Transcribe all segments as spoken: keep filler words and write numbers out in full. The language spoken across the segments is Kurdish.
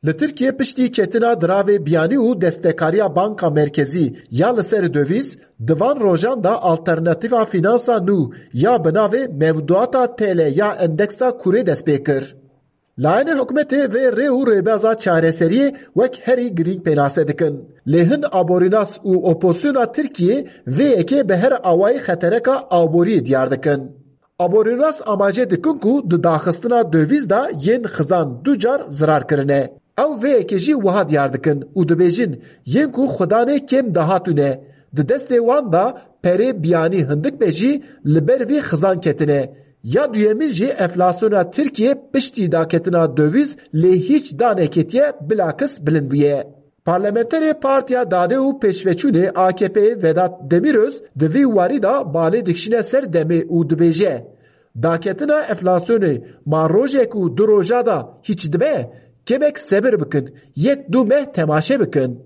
Li Tirkiyê piştî ketina diravê biyanî û destekariya Banka Merkezî ya li ser döviz, di van rojan de alternatîfa fînansa nû ya bi navê mewduata T L ya endeksa kurê dest pê kir. Layînê hikûmetê vê rê û rêbaza çareseriyê wek herî girîng pênase dikin. Lê hin aborînas û opozisyona Tirkiyê vê yekê bi her awayî xetereka aboriyê diyar dikin. Aborînas amaje dikin ku di daxistina döviz de yên xizan du car zirar kirine. Ew vê yekê jî wiha diyar dikin û dibêjin, yên ku xwedanê kêm dahatû ne, di destê wan de perê biyanî hindik be jî li ber vî xizan ketine. Ya duyemîn jî enflasyona Tirkiyê piştî daketina döviz lê hîç daneketiye, bilakis bilind bûye. Parlamenterê Partiya Dadê û Pêşveçûnê A K P'ê Vedat Demiröz di vî warî de balê dikişîne ser demê û dibêje, daketina enflasyonê ma rojek û du roja de hîç dibe, kêmek sebir bikin, yek du meh temaşe bikin.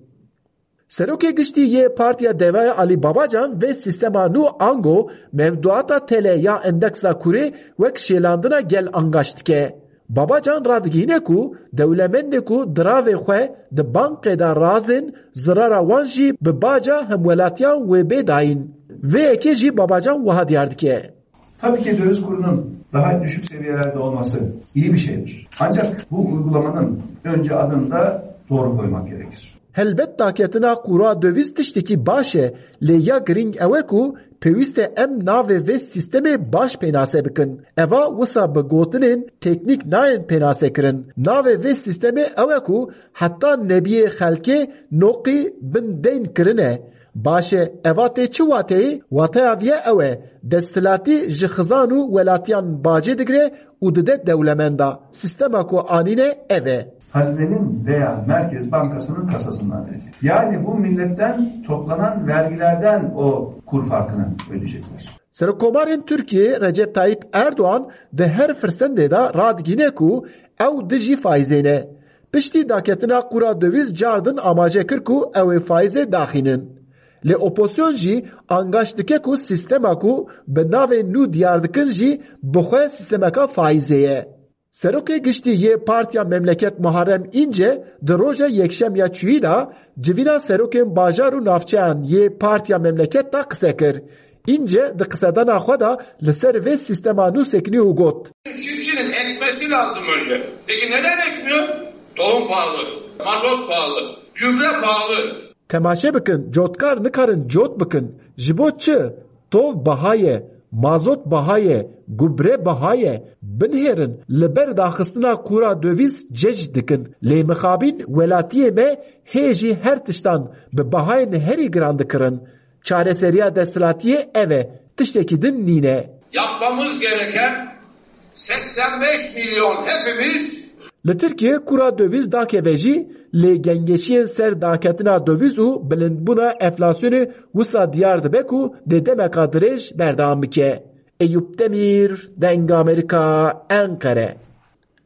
Serokê Giştî yê Partiya Devayê Alî Babacan vê sîstema nû ango mewduata T L ya endeksa kurê wek şêlandina gel angaş dike. Babacan radigihîne ku dewlemendê ku diravê xwe di bankê de razên, zirara wan jî bi baca hemwelatiyan wê bê dayîn. Vê yekê jî Babacan wiha diyar dike. Tabii ki döviz kurunun daha düşük seviyelerde olması iyi bir şeydir. Ancak bu uygulamanın önce adını da doğru koymak gerekir. Helbet daketina qûra döviz tiştekî baş e, lê ya girîng ew e ku pêwîst e em navê vê sîstemê baş pênase bikin. Eva wisa bi gotinên teknîk nayên pênasekirin. Navê vê sîstemê ew e ku heta nebiyê xelkê noqî bin deyn kirine. Baş e, eva tê çi wateyê? Wateya viya ew e, desthilatî ji xizan û welatiyan bacê digire û dide dewlemenda. Sîstema ku anîne ev e. Hazinenin veya Merkez Bankası'nın kasasından verecek. Yani bu milletten toplanan vergilerden o kur farkını ödeyecekler. Serokkomarên Tirkiyê Recep Tayyip Erdoğan di her firsendê de radigîne ku ew dijî faîzê ne. Piştî daketina qûra döviz cardin amaje kir ku ew ê faîzê daxînin. Lê opozisyon jî angaş dike ku sîstema ku bi navê nû diyar dikin jî bi xwe sîstemeka faîzê ye. Serokê Giştî yê Partiya Memleket Muharrem Înce di roja Yekşem ya çûyî de civîna serokên bajar û navçeyan yê Partiya Memleket de qise kir. Înce di qisedana xwe de li ser vê sîstema nû sekinî û got, Çiftçinin ekmesi lazım önce. Peki neden ekmiyor? Tohum pahalı, mazot pahalı, gübre pahalı. Temaşe bikin, cotkar nikarin cot bikin. Ji bo çi? Tov biha ye, mazot biha ye, gubre biha ye. Binihêrin, li ber daxistina qûra döviz cej dikin. Lê mixabîn welatiyê me hê jî her tiştan bi bihayên herî giran dikirin. Çareseriya desthilatiyê ev e, tiştekî din nîne. Yapmamız gereken seksen beş milyon hepimiz. Li Tirkiyê qûra döviz dakeve jî, lê gengeşiyên ser daketina döviz û bilindbûna enflasyonê wisa diyar dibe ku dê demeka dirêj berdewam bike. Eyûp Demîr, Deng Amerîka, Enqere.